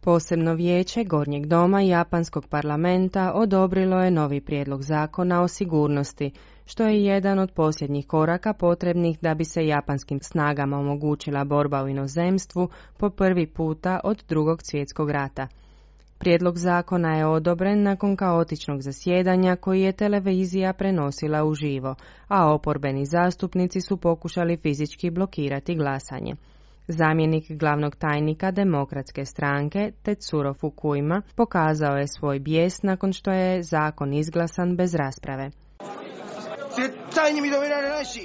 Posebno vijeće Gornjeg doma Japanskog parlamenta odobrilo je novi prijedlog zakona o sigurnosti, što je jedan od posljednjih koraka potrebnih da bi se japanskim snagama omogućila borba u inozemstvu po prvi puta od Drugog svjetskog rata. Prijedlog zakona je odobren nakon kaotičnog zasjedanja koji je televizija prenosila uživo, a oporbeni zastupnici su pokušali fizički blokirati glasanje. Zamjenik glavnog tajnika Demokratske stranke, Tetsuro Fukuyama, pokazao je svoj bijes nakon što je zakon izglasan bez rasprave.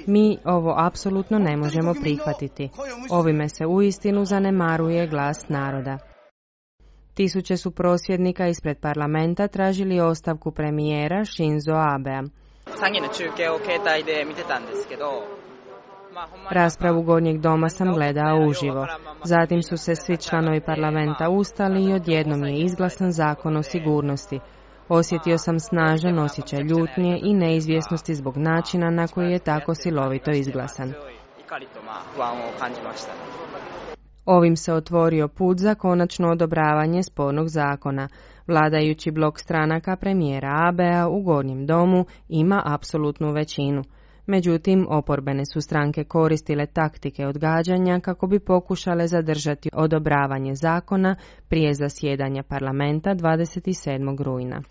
Mi ovo apsolutno ne možemo prihvatiti. Ovime se uistinu zanemaruje glas naroda. Tisuće su prosvjednika ispred parlamenta tražili ostavku premijera Shinzo Abea. Raspravu Gornjeg doma sam gledao uživo. Zatim su se svi članovi parlamenta ustali i odjednom je izglasan zakon o sigurnosti. Osjetio sam snažan osjećaj ljutnje i neizvjesnosti zbog načina na koji je tako silovito izglasan. Ovim se otvorio put za konačno odobravanje spornog zakona. Vladajući blok stranaka premijera Abea u Gornjem domu ima apsolutnu većinu. Međutim, oporbene su stranke koristile taktike odgađanja kako bi pokušale zadržati odobravanje zakona prije zasjedanja parlamenta 27. rujna.